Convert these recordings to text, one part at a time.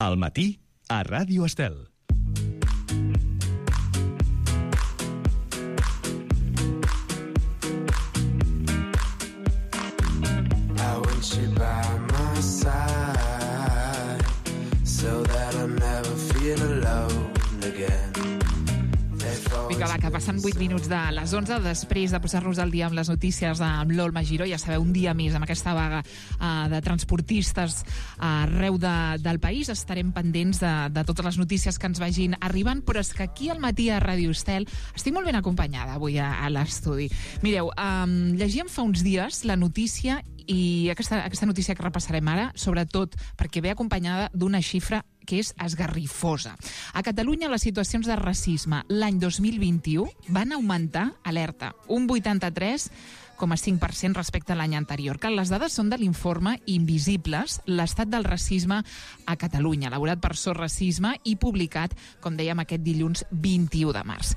Al matí, a Ràdio Estel. Vinga, va, que passen 8 minuts de les 11 després de posar-nos al dia amb les notícies amb l'Olma Giró. Ja sabeu, un dia més amb aquesta vaga de transportistes arreu del país. Estarem pendents de totes les notícies que ens vagin arribant, però és que aquí al matí a Ràdio Estel estic molt ben acompanyada avui a l'estudi. Mireu, llegíem fa uns dies la notícia, i aquesta notícia que repassarem ara, sobretot perquè ve acompanyada d'una xifra que és esgarrifosa. A Catalunya les situacions de racisme l'any 2021 van augmentar, alerta, un 83,5% respecte a l'any anterior. Que les dades són de l'informe Invisibles, l'estat del racisme a Catalunya, elaborat per SOS Racisme i publicat, com dèiem, aquest dilluns 21 de març.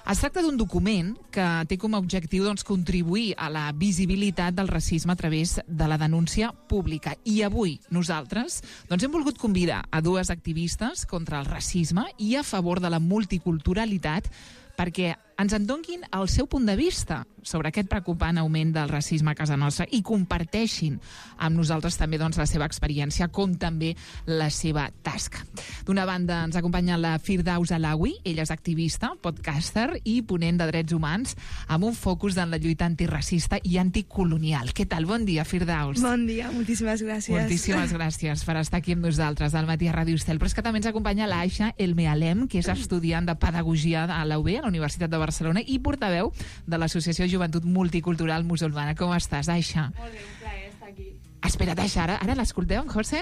Es tracta d'un document que té com a objectiu contribuir a la visibilitat del racisme a través de la denúncia pública. I avui nosaltres hem volgut convidar a dues activistes contra el racisme i a favor de la multiculturalitat perquè ens en donin el seu punt de vista sobre aquest preocupant augment del racisme a casa nostra i comparteixin amb nosaltres també la seva experiència, com també la seva tasca. D'una banda ens acompanya la Firdaus Alawi, ella és activista, podcaster i ponent de drets humans amb un focus en la lluita antiracista i anticolonial. Què tal? Bon dia, Firdaus. Bon dia, moltíssimes gràcies. Moltíssimes gràcies per estar aquí amb nosaltres al matí a Ràdio Estel. Però és que també ens acompanya l'Aisha El Mealem, que és estudiant de Pedagogia a la UB, a la Universitat de Barcelona, i portaveu de l'Associació Joventut Multicultural Musulmana. Com estàs, Aisha? Molt bé, un plaer estar aquí. Espera't, Aisha, ara l'escolteu, José?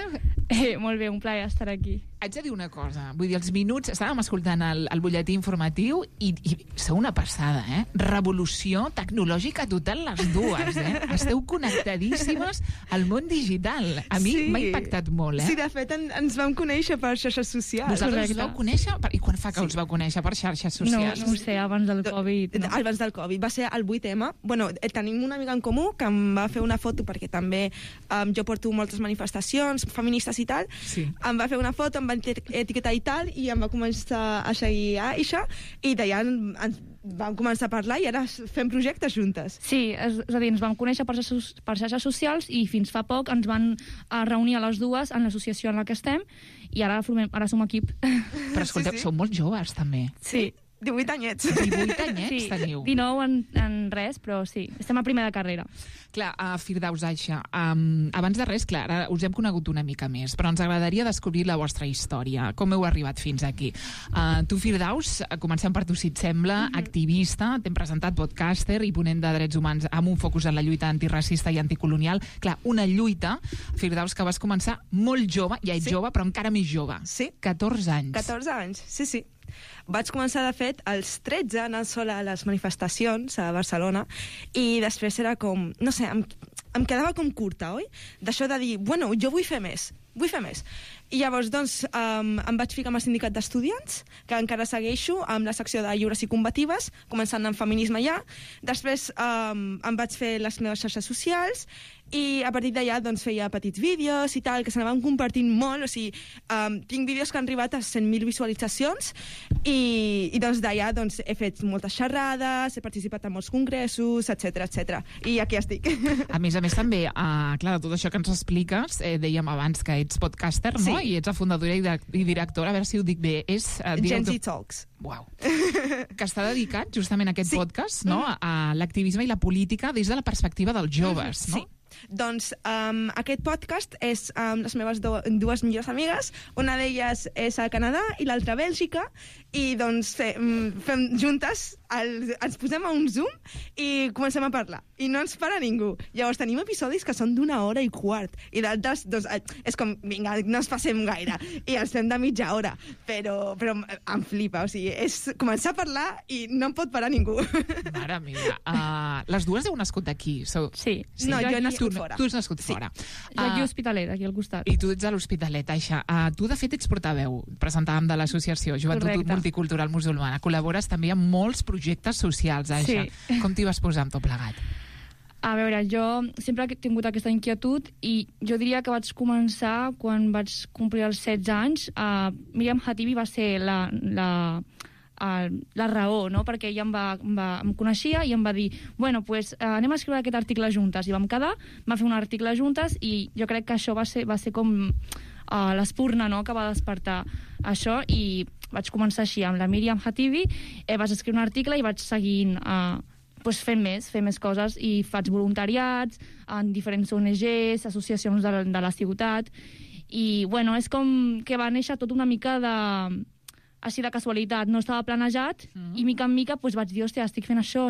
Molt bé, un plaer estar aquí. Haig de dir una cosa, vull dir, els minuts, estàvem escoltant el butlletí informatiu i sou una passada, Revolució tecnològica total les dues, Esteu connectadíssimes al món digital. A mi m'ha impactat molt, Sí, de fet, ens vam conèixer per xarxes socials. Vosaltres us vau conèixer? I quan fa que us vau conèixer per xarxes socials? No ho sé, abans del Covid. No. Abans del Covid, va ser el 8M. Bueno, tenim una amiga en comú que em va fer una foto perquè també jo porto moltes manifestacions feministes i tal. Sí. Em va fer una foto, em va etiquetar i tal, i em va començar a seguir a Aisha, i d'allà vam començar a parlar i ara fem projectes juntes. Sí, és a dir, ens vam conèixer per xarxes socials i fins fa poc ens van reunir a les dues en l'associació en la que estem i ara som equip. Però escolteu, sou molt joves també. Sí. 18 anyets. 18 anyets teniu. 19 en res, però sí, estem a primer de carrera. Clar, Firdaus, Aisha, abans de res, clar, ara us hem conegut una mica més, però ens agradaria descobrir la vostra història. Com heu arribat fins aquí? Tu, Firdaus, comencem per tu, si et sembla, activista, t'hem presentat podcaster i ponent de drets humans amb un focus en la lluita antiracista i anticolonial. Clar, una lluita, Firdaus, que vas començar molt jove, ja ets jove, però encara més jove. Sí. 14 anys. 14 anys, sí. Vaig començar, de fet, als 13 anant sola a les manifestacions a Barcelona i després era com, no sé, em quedava com curta, oi? D'això de dir, bueno, jo vull fer més. I llavors, doncs, em vaig ficar amb el sindicat d'estudiants, que encara segueixo, amb la secció de lliures i combatives, començant amb feminisme ja. Després em vaig fer les meves xarxes socials i a partir d'allà doncs, feia petits vídeos i tal, que s'anaven compartint molt. O sigui, tinc vídeos que han arribat a 100.000 visualitzacions i doncs d'allà doncs, he fet moltes xerrades, he participat en molts congressos, etc. I aquí estic. A més també, clar, de tot això que ens expliques, dèiem abans que ets podcaster, no? Sí. I ets la fundadora i directora, a veure si ho dic bé, és... Gen Z Talks. Uau. Que està dedicat justament a aquest podcast, no? A l'activisme i la política des de la perspectiva dels joves, no? Sí. Doncs aquest podcast és amb les meves dues millors amigues. Una d'elles és a Canadà i l'altra a Bèlgica, i doncs fem juntes, ens posem a un Zoom i comencem a parlar i no ens para ningú. Llavors tenim episodis que són d'1 hora i quart i d'altres doncs, és com, vinga, no ens passem gaire i els fem de mitja hora, però em flipa, o sigui, és començar a parlar i no em pot parar ningú. Mare meva. Les dues heu nascut aquí? Sí. No, jo he nascut fora. Tu has nascut fora. Jo aquí a Hospitalet, aquí al costat. I tu ets a l'Hospitalet, Aisha. Tu, de fet, ets portaveu, presentàvem de l'associació Joventut Multicultural Musulmana. Col·labores també amb molts projectes socials, Aisha. Sí. Com t'hi vas posar amb tot plegat? A veure, jo sempre he tingut aquesta inquietud i jo diria que vaig començar quan vaig complir els 16 anys. Miriam Hatibi va ser la raó, no? Perquè ella em coneixia i em va dir pues, anem a escriure aquest article juntes. I vam quedar, va fer un article juntes i jo crec que això va ser com l'espurna, no?, que va despertar això, i vaig començar així amb la Miriam Hatibi. Vaig escriure un article i vaig seguint fent més coses, i faig voluntariats en diferents ONGs, associacions de la ciutat, i és com que va néixer tot una mica així de casualitat, no estava planejat, i mica en mica vaig dir, hòstia, estic fent això.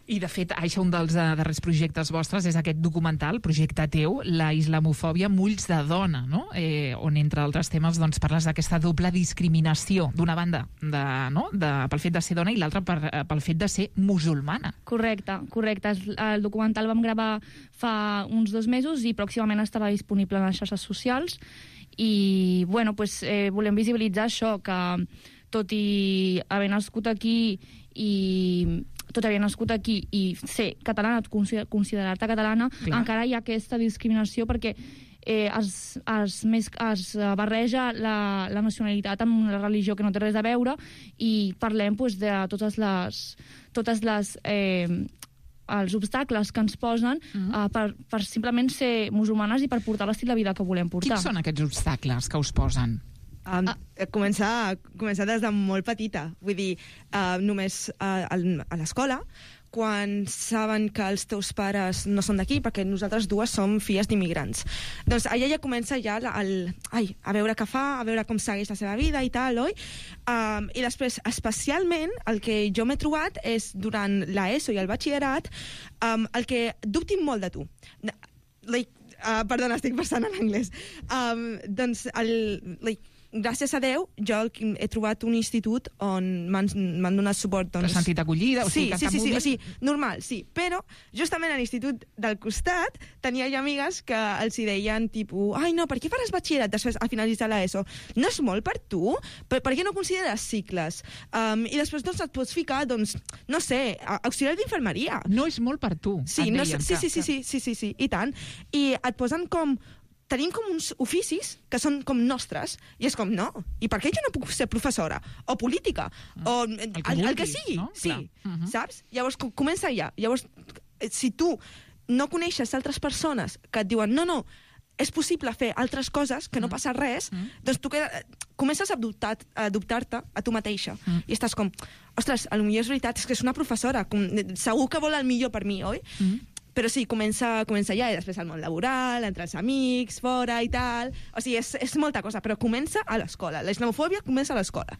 I, de fet, això, un dels darrers projectes vostres és aquest documental, projecte teu, la islamofòbia mulls de dona, no? On, entre altres temes, parles d'aquesta doble discriminació, d'una banda pel fet de ser dona i l'altra pel fet de ser musulmana. Correcte. El documental vam gravar fa uns 2 mesos i pròximament estarà disponible en les xarxes socials, i volem visibilitzar això, que tot i haver nascut aquí i ser catalana, considerar-te catalana, clar, encara hi ha aquesta discriminació, perquè es barreja la nacionalitat amb la religió, que no té res a veure, i parlem de totes les els obstacles que ens posen per simplement ser musulmanes i per portar l'estil de vida que volem portar. Quins són aquests obstacles que us posen? Començar des de molt petita. Vull dir, només a l'escola, quan saben que els teus pares no són d'aquí, perquè nosaltres dues som filles d'immigrants. Doncs allà ja comença a veure què fa, a veure com segueix la seva vida i tal, oi? I després, especialment, el que jo m'he trobat és, durant l'ESO i el batxillerat, el que dubtin molt de tu. Perdona, estic passant en anglès. Doncs, gràcies a Déu, jo he trobat un institut on m'han donat suport. T'has sentit acollida? Sí, normal, sí. Però, justament a l'institut del costat, tenia ja amigues que els hi deien, tipus, ai, no, per què faràs batxillerat després a finalitzar l'ESO? No és molt per tu? Per què no consideres cicles? I després et pots ficar, no sé, auxiliar d'infermeria. No és molt per tu. Sí, i tant. I et posen tenim com uns oficis que són com nostres, i és com, no, i per què jo no puc ser professora? O política? O el que sigui, no? Sí, saps? Llavors, comença ja. Llavors, si tu no coneixes altres persones que et diuen, no, és possible fer altres coses, que no passa res, doncs tu comences a dubtar-te a tu mateixa. I estàs com, ostres, potser és veritat, és que és una professora, segur que vol el millor per mi, oi? Però sí, comença ja, i després el món laboral, entre els amics, fora i tal. O sigui, és molta cosa, però comença a l'escola. La islamofòbia comença a l'escola.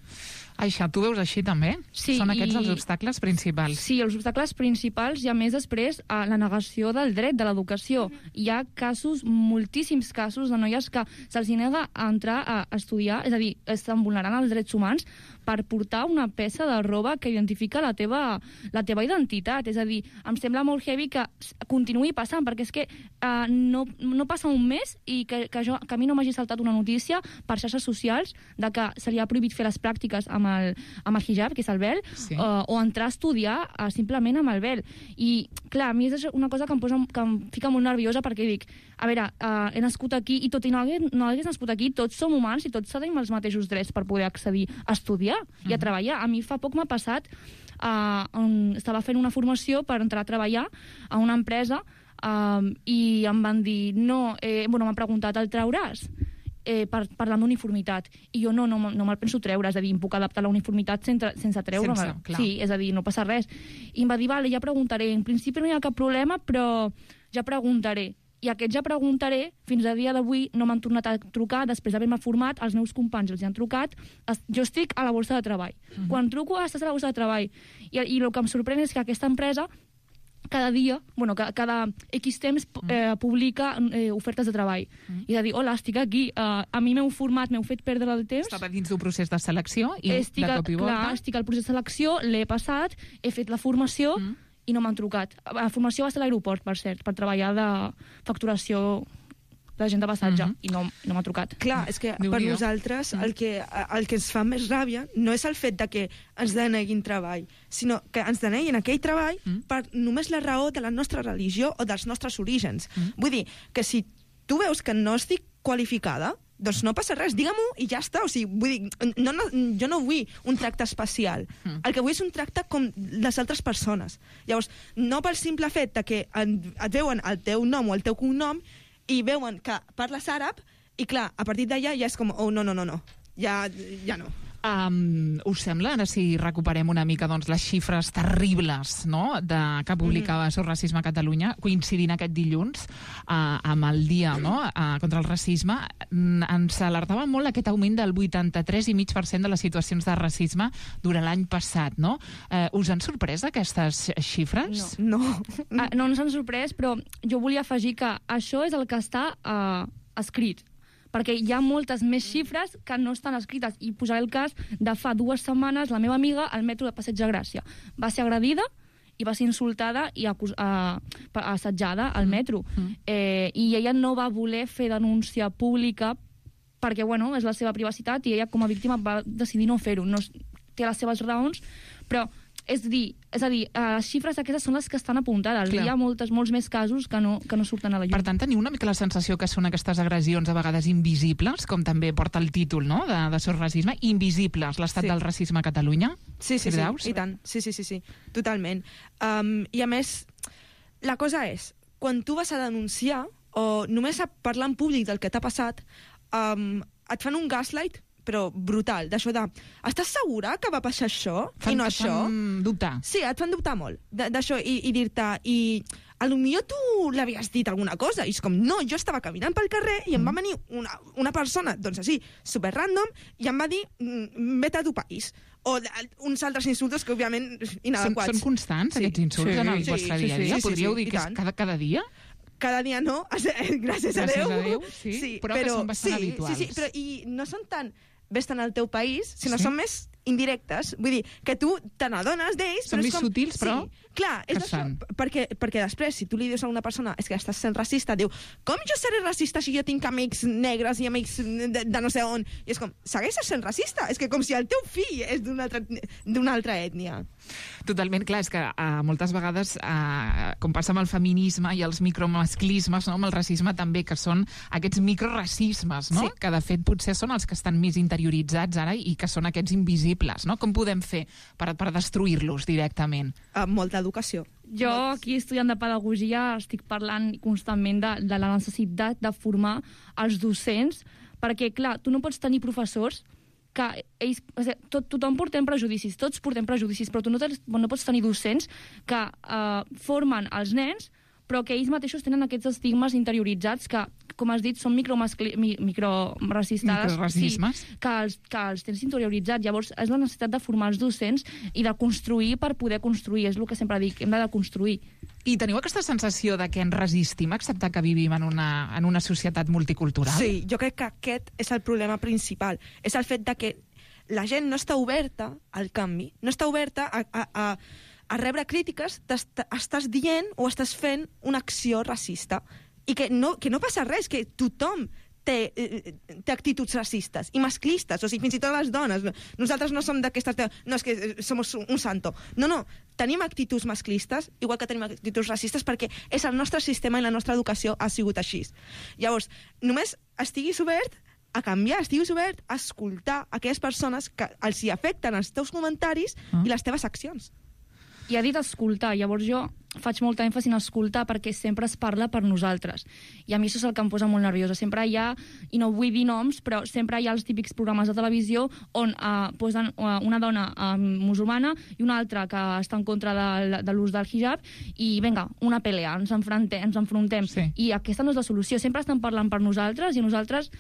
Això, tu veus així també? Sí. Són aquests els obstacles principals? Sí, els obstacles principals, i a més després la negació del dret, de l'educació. Hi ha casos, moltíssims casos de noies que se'ls nega a entrar a estudiar, és a dir, estan vulnerant els drets humans per portar una peça de roba que identifica la teva identitat. És a dir, em sembla molt heavy que continuï passant, perquè és que no passa un mes i que a mi no m'hagi saltat una notícia per xarxes socials de que seria prohibit fer les pràctiques amb el hijab, que és el vel, sí, o entrar a estudiar simplement amb el vel. I, clar, a mi és una cosa que em fica molt nerviosa, perquè dic, a veure, he nascut aquí, i tot i no hagués nascut aquí, tots som humans i tots tenim els mateixos drets per poder accedir a estudiar i a treballar. A mi fa poc m'ha passat, estava fent una formació per entrar a treballar a una empresa, i em van dir, m'han preguntat, el trauràs? Parlant d'uniformitat, i jo no me'l penso treure, és a dir, em puc adaptar a la uniformitat sense treure-me'l. Sí, és a dir, no passa res. I em va dir, vale, ja preguntaré, en principi no hi ha cap problema, però ja preguntaré. I aquest ja preguntaré, fins a dia d'avui no m'han tornat a trucar, després d'haver-me format, els meus companys els han trucat, jo estic a la borsa de treball. Quan truco, estàs a la borsa de treball. I el que em sorprèn és que aquesta empresa cada dia, cada X temps publica ofertes de treball. I de dir, hola, estic aquí, a mi m'heu format, m'heu fet perdre el temps. Estava dins d'un procés de selecció i de cop i volta... Clar, estic al procés de selecció, l'he passat, he fet la formació i no m'han trucat. La formació va ser a l'aeroport, per cert, per treballar de facturació la gent de passatge, i no m'ha trucat. Clar, és que per Déu-n'hi-do. nosaltres el que ens fa més ràbia no és el fet de que ens deneguin treball, sinó que ens deneguin aquell treball per només la raó de la nostra religió o dels nostres orígens. Vull dir, que si tu veus que no estic qualificada, doncs no passa res, digue-m'ho i ja està. O sigui, vull dir, jo no vull un tracte especial. El que vull és un tracte com les altres persones. Llavors, no pel simple fet de que et veuen el teu nom o el teu cognom i veuen que parles àrab i, clar, a partir d'allà ja és com, oh, no, ja no. Us sembla, ara si recuperem una mica doncs, les xifres terribles, no?, que publicava Sos Racisme a Catalunya, coincidint aquest dilluns amb el dia, no?, contra el racisme, ens alertava molt aquest augment del 83,5% de les situacions de racisme durant l'any passat, no? Us han sorprès aquestes xifres? No. No ens han sorprès, però jo volia afegir que això és el que està escrit, perquè hi ha moltes més xifres que no estan escrites. I posaré el cas de fa 2 setmanes, la meva amiga al metro de Passeig de Gràcia va ser agredida i va ser insultada i assetjada al metro. I ella no va voler fer denúncia pública perquè, bueno, és la seva privacitat i ella com a víctima va decidir no fer-ho. No, té les seves raons, però és a dir, les xifres aquestes són les que estan apuntades. Clar. Hi ha molts més casos que no surten a la llum. Per tant, teniu una mica la sensació que són aquestes agressions a vegades invisibles, com també porta el títol, no?, de Sos Racisme, invisibles, l'estat del racisme a Catalunya? Sí, Firdaus? i tant. Sí, totalment. I a més, la cosa és, quan tu vas a denunciar o només a parlar en públic del que t'ha passat, et fan un gaslight, però brutal, d'això de estàs segura que va passar això i no això? Et fan dubtar. Sí, et fan dubtar molt d'això i dir-te, i potser tu l'havies dit alguna cosa, i és com, no, jo estava caminant pel carrer i em va venir una persona, doncs així, super random, i em va dir, vete a tu país. O uns altres insultos que, òbviament, inadequats. Són constants, aquests insults, en el vostre dia a dia? Podríeu dir que és cada dia? Cada dia no, gràcies a Déu. Gràcies a Déu, sí, però que són bastant habituals. Sí, però i no són tan ves-te'n al teu país, sinó són més indirectes. Vull dir, que tu te n'adones d'ells... Són més sutils, però... Sí, clar, és això, perquè després, si tu li dius a una persona és que estàs sent racista, diu, com jo seré racista si jo tinc amics negres i amics de no sé on? I és com, segueixes sent racista? És que com si el teu fill és d'una altra ètnia. Totalment, clar, és que moltes vegades, com passa amb el feminisme i els micromasclismes, no?, amb el racisme també, que són aquests microracismes, no?, que de fet potser són els que estan més interioritzats ara i que són aquests invisibles, no? Com podem fer per destruir-los directament? Molta educació. Jo, aquí estudiant de pedagogia, estic parlant constantment de la necessitat de formar els docents, perquè, clar, tu no pots tenir professors que ells... tothom portem prejudicis, tots portem prejudicis, però tu no pots tenir docents que formen els nens, però que ells mateixos tenen aquests estigmes interioritzats que, com has dit, són microracismes, sí, que els tens interioritzats. Llavors, és la necessitat de formar els docents i de construir per poder construir. És el que sempre dic, hem de construir. I teniu aquesta sensació de que ens resistim a acceptar que vivim en una societat multicultural? Sí, jo crec que aquest és el problema principal. És el fet de que la gent no està oberta al canvi, no està oberta a rebre crítiques, estàs dient o estàs fent una acció racista. I que no passa res, que tothom té actituds racistes i masclistes, o sigui, fins i tot les dones. Nosaltres no som d'aquestes... No, és que som un santo. No, tenim actituds masclistes, igual que tenim actituds racistes, perquè és el nostre sistema i la nostra educació ha sigut així. Llavors, només estiguis obert a canviar, estiguis obert a escoltar aquelles persones que els hi afecten els teus comentaris i les teves accions. I ha dit escoltar, llavors jo faig molta èmfasi en escoltar perquè sempre es parla per nosaltres. I a mi això és el que em posa molt nerviosa. Sempre hi ha, i no vull dir noms, però sempre hi ha els típics programes de televisió on posen una dona musulmana i una altra que està en contra de l'ús del hijab i vinga, una pelea, ens enfrontem. Sí. I aquesta no és la solució. Sempre estan parlant per nosaltres i nosaltres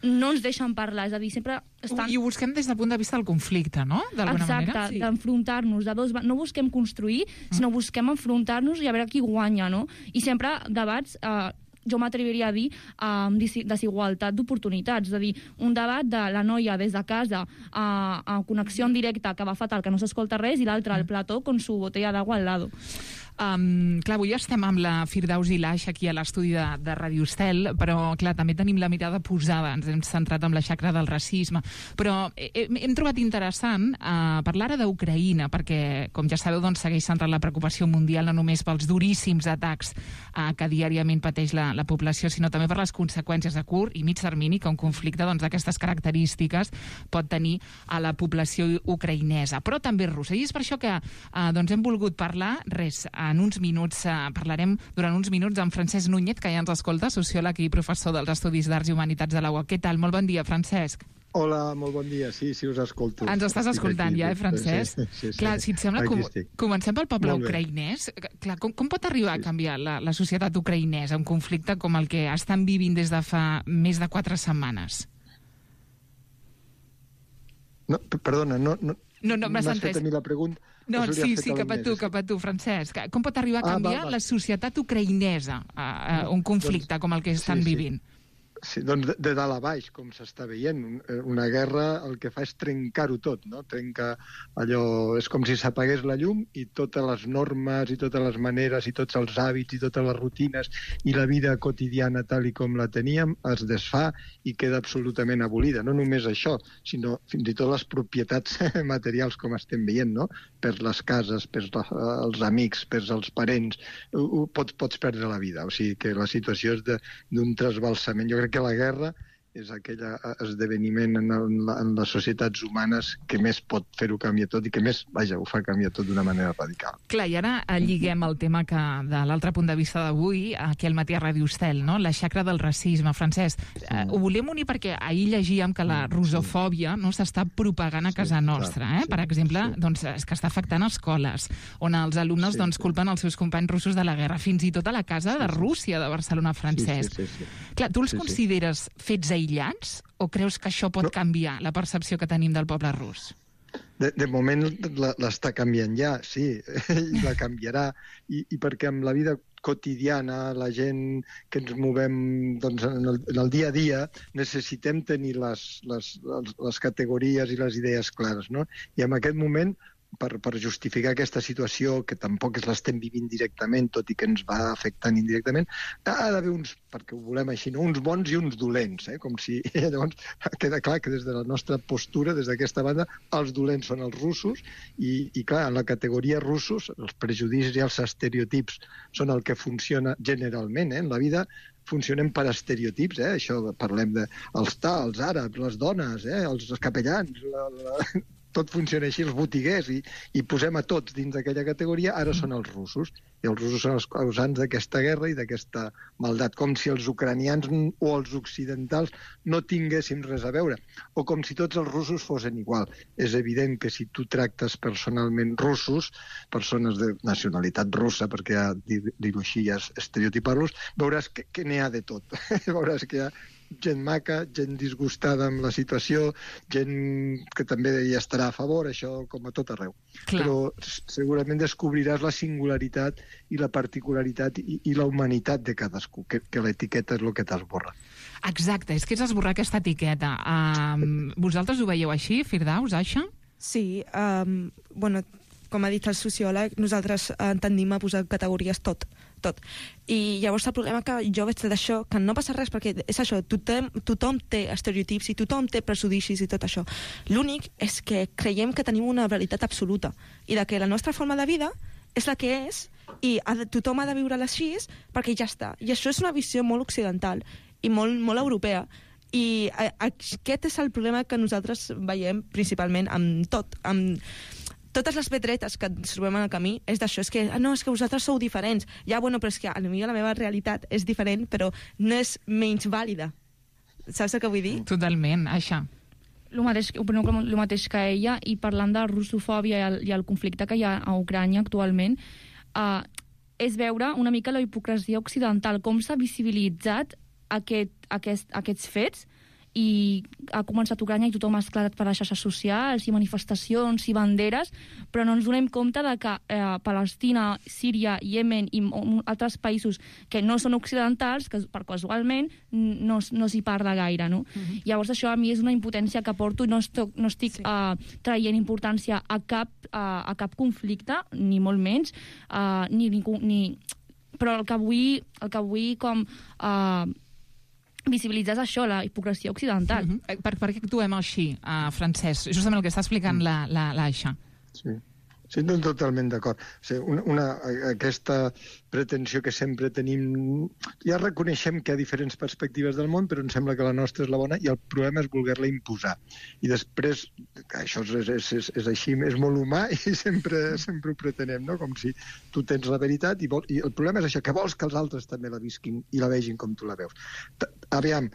no ens deixen parlar, és a dir, sempre estan... I ho busquem des del punt de vista del conflicte, no? D'alguna manera. Exacte, d'enfrontar-nos. No busquem construir, sinó busquem enfrontar-nos i a veure qui guanya, no? I sempre debats... jo m'atreviria a dir desigualtat d'oportunitats, és a dir, un debat de la noia des de casa a connexió en directe que va fatal, que no s'escolta res, i l'altre al plató con su botella d'agua al lado. Clar, avui estem amb la Firdaus i l'Aix aquí a l'estudi de Ràdio Estel, però, clar, també tenim la mirada posada, ens hem centrat en la xacra del racisme, però hem trobat interessant parlar ara d'Ucraïna, perquè, com ja sabeu, doncs, segueix centrant la preocupació mundial no només pels duríssims atacs que diàriament pateix la població, sinó també per les conseqüències a curt i mig termini que un conflicte d'aquestes característiques pot tenir a la població ucraïnesa, però també russa. I és per això que hem volgut parlar, en uns minuts, parlarem durant uns minuts amb Francesc Núñez, que ja ens escolta, sociòleg i professor dels Estudis d'Arts i Humanitats de la UOC. Què tal? Molt bon dia, Francesc. Hola, molt bon dia. Sí, us escolto. Ens estàs escoltant ja, Francesc? Sí. Clar, si et sembla, comencem pel poble ucraïnès. Clar, com pot arribar a canviar la societat ucraïnesa un conflicte com el que estan vivint des de fa més de 4 setmanes? No, perdona, no m'has fet a mi la pregunta. No, sí, cap a tu, Francesc. Com pot arribar a canviar la societat ucraïnesa un conflicte com el que estan vivint? Sí, doncs de dalt a baix, com s'està veient. Una guerra el que fa és trencar-ho tot, no? Trenca allò... És com si s'apagués la llum i totes les normes i totes les maneres i tots els hàbits i totes les rutines i la vida quotidiana tal i com la teníem es desfà i queda absolutament abolida. No només això, sinó fins i tot les propietats materials com estem veient, no? Per les cases, per els amics, per els parents, pots perdre la vida. O sigui que la situació és d'un trasbalsament. Jo crec que la guerra és aquell esdeveniment en les societats humanes que més pot fer-ho canviar tot i que més, ho fa canviar tot d'una manera radical. Clar, i ara lliguem el tema que de l'altre punt de vista d'avui, aquí al matí a Ràdio Estel, no? La xacra del racisme. Francesc, ho volem unir perquè ahir llegíem que la russofòbia s'està propagant a casa nostra. Per exemple, és que està afectant escoles, on els alumnes culpen els seus companys russos de la guerra, fins i tot a la casa de Rússia, de Barcelona, Francesc. Clar, tu els consideres fets aïllats o creus que això pot canviar la percepció que tenim del poble rus? De moment l'està canviant ja, sí, i la canviarà, i perquè amb la vida quotidiana, la gent que ens movem en el dia a dia, necessitem tenir les categories i les idees clares, no? I en aquest moment, per justificar aquesta situació, que tampoc l'estem vivint directament, tot i que ens va afectant indirectament, ha d'haver uns, perquè ho volem així, uns bons i uns dolents, com si llavors queda clar que des de la nostra postura, des d'aquesta banda, els dolents són els russos, i clar, en la categoria russos, els prejudicis i els estereotips són el que funciona generalment, en la vida funcionem per estereotips, això parlem dels els àrabs, les dones, els capellans, tot funciona així, els botiguers, i posem a tots dins d'aquella categoria, ara són els russos. I els russos són els causants d'aquesta guerra i d'aquesta maldat, com si els ucranians o els occidentals no tinguéssim res a veure, o com si tots els russos fossin igual. És evident que si tu tractes personalment russos, persones de nacionalitat russa, perquè ja dir-ho així ja és estereotipar-los, veuràs que n'hi ha de tot. Veuràs que hi ha gent maca, gent disgustada amb la situació, gent que també hi estarà a favor, això com a tot arreu. Clar. Però segurament descobriràs la singularitat i la particularitat i la humanitat de cadascú, que l'etiqueta és el que t'esborra. Exacte, és que és esborrar aquesta etiqueta. Vosaltres ho veieu així, Firdaus, això? Sí, com ha dit el sociòleg, nosaltres tendim a posar categories tot. I llavors el problema que jo veig d'això, que no passa res, perquè és això, tothom té estereotips i tothom té prejudicis i tot això. L'únic és que creiem que tenim una veritat absoluta i de que la nostra forma de vida és la que és i tothom ha de viure-la així perquè ja està. I això és una visió molt occidental i molt europea. I aquest és el problema que nosaltres veiem principalment amb tot, amb totes les pedretes que ens trobem en el camí és d'això, és que vosaltres sou diferents. Ja, però és que a mi la meva realitat és diferent, però no és menys vàlida. Saps el que vull dir? Totalment, això. El mateix que ella, i parlant de russofòbia i el conflicte que hi ha a Ucrània actualment, és veure una mica la hipocresia occidental, com s'ha visibilitzat aquests fets, i ha començat Ucrania i tothom ha esclatat per les xarxes socials i manifestacions i banderes, però no ens donem compte de que Palestina, Síria, Iemen i altres països que no són occidentals, que per casualment no s'hi parla gaire, no? Llavors això a mi és una impotència que porto i no estic traient importància a cap conflicte, ni molt menys, però el que vull com visibilitzar és això, la hipocresia occidental. Per què actuem així, Francesc? Justament el que està explicant l'Aixa. Sí, totalment d'acord. O sigui, aquesta pretensió que sempre tenim... Ja reconeixem que hi ha diferents perspectives del món, però em sembla que la nostra és la bona i el problema és voler-la imposar. I després, això és així, és molt humà i sempre ho pretenem, no? Com si tu tens la veritat i el problema és això, que vols que els altres també la visquin i la vegin com tu la veus. Aviam,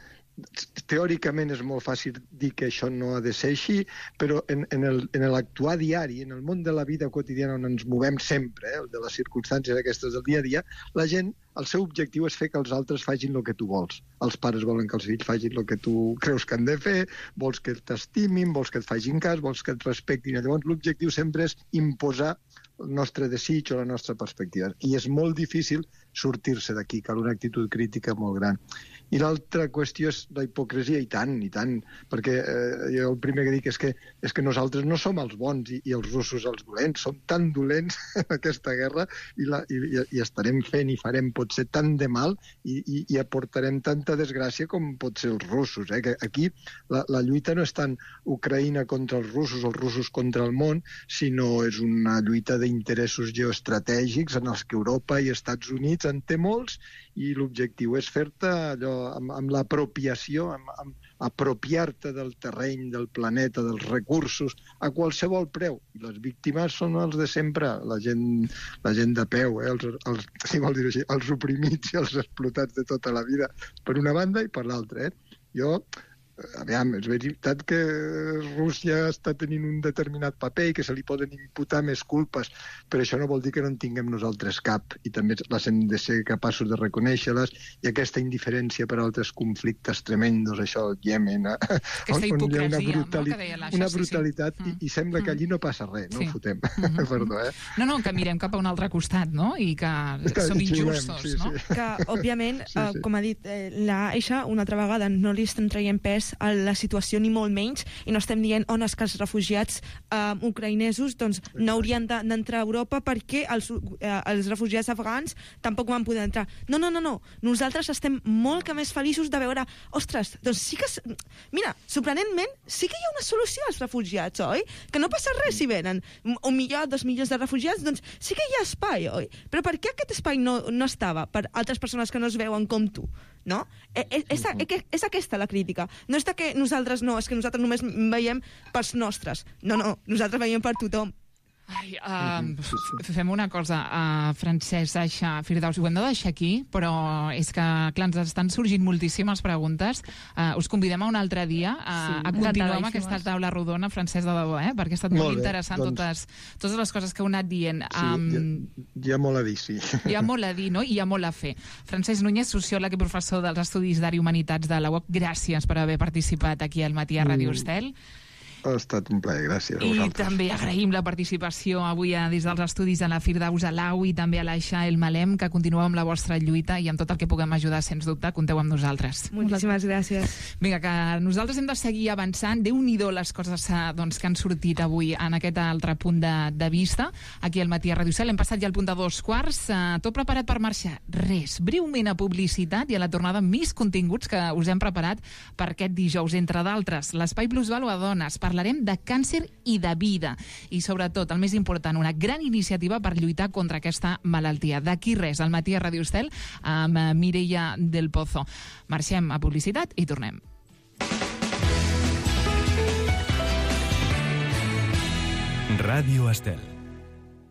teòricament és molt fàcil dir que això no ha de ser així, però en l'actuar diari, en el món de la vida quotidiana on ens movem sempre, de les circumstàncies aquestes del dia a dia, la gent, el seu objectiu és fer que els altres facin el que tu vols. Els pares volen que els fills facin el que tu creus que han de fer, vols que t'estimin, vols que et facin cas, vols que et respectin. Llavors l'objectiu sempre és imposar el nostre desig o la nostra perspectiva. I és molt difícil sortir-se d'aquí, cal una actitud crítica molt gran. I l'altra qüestió és la hipocresia, i tant, perquè jo el primer que dic és que nosaltres no som els bons i els russos els dolents, som tan dolents en aquesta guerra i estarem fent i farem potser tant de mal i aportarem tanta desgràcia com pot ser els russos. Que aquí la lluita no és tant Ucraïna contra els russos contra el món, sinó és una lluita d'interessos geoestratègics en els que Europa i Estats Units en té molts i l'objectiu és fer-te allò amb l'apropiació, amb apropiar-te del terreny, del planeta, dels recursos, a qualsevol preu. I les víctimes són els de sempre, la gent de peu, si vols dir-ho així, els oprimits i els explotats de tota la vida, per una banda i per l'altra. Aviam, és veritat que Rússia està tenint un determinat paper i que se li poden imputar més culpes, però això no vol dir que no en tinguem nosaltres cap, i també les hem de ser capaços de reconèixer-les, i aquesta indiferència per altres conflictes tremendos, això, el Iemen, aquesta hipocresia, una brutalitat, i sembla que allí no passa res, no ho fotem, perdó, No, que mirem cap a un altre costat, no?, i que som injustos, no? Que, òbviament, com ha dit l'Aixa, una altra vegada no li estem traient pes a la situació ni molt menys, i no estem dient on és que els refugiats ucraïnesos doncs no haurien d'entrar a Europa perquè els refugiats afgans tampoc van poder entrar. No. Nosaltres estem molt que més feliços de veure, ostres, doncs sí que... Mira, sorprenentment, sí que hi ha una solució als refugiats, oi? Que no passa res si venen 1 milió, 2 milions de refugiats, doncs sí que hi ha espai, oi? Però per què aquest espai no estava per altres persones que no es veuen com tu? No? És aquesta la crítica. No és que nosaltres no, és que nosaltres només veiem pels nostres. No, nosaltres veiem per tothom. Fem una cosa, Francesc, Aixa, Firdaus, ho hem de deixar aquí, però és que, clar, ens estan sorgint moltíssimes preguntes. Us convidem a un altre dia a continuar amb aquesta taula rodona, Francesc, de debò, perquè ha estat molt interessant totes les coses que heu anat dient. Hi ha molt a dir, sí. Hi ha molt a dir, no? I hi ha molt a fer. Francesc Núñez, sociòleg i professor dels Estudis d'Art i Humanitats de la UOC, gràcies per haver participat aquí al Matí a Ràdio Estel. Ha estat un plaer, gràcies a vosaltres. I també agraïm la participació avui des dels estudis de la Firdaus Alau i també a l'Aixa El Malem, que continueu amb la vostra lluita i amb tot el que puguem ajudar, sens dubte, compteu amb nosaltres. Moltíssimes gràcies. Vinga, que nosaltres hem de seguir avançant. Déu-n'hi-do les coses que han sortit avui en aquest altre punt de vista. Aquí al Matí a Ràdio Estel hem passat ja al punt de 2:15. Tot preparat per marxar? Res. Breument a publicitat i a la tornada més continguts que us hem preparat per aquest dijous. Entre d'altres, l'Espai Plusvàlua a Dones. Parlarem de càncer i de vida. I sobretot, el més important, una gran iniciativa per lluitar contra aquesta malaltia. D'aquí res, al Matí a Ràdio Estel amb Mireia del Pozo. Marxem a publicitat i tornem. Ràdio Estel.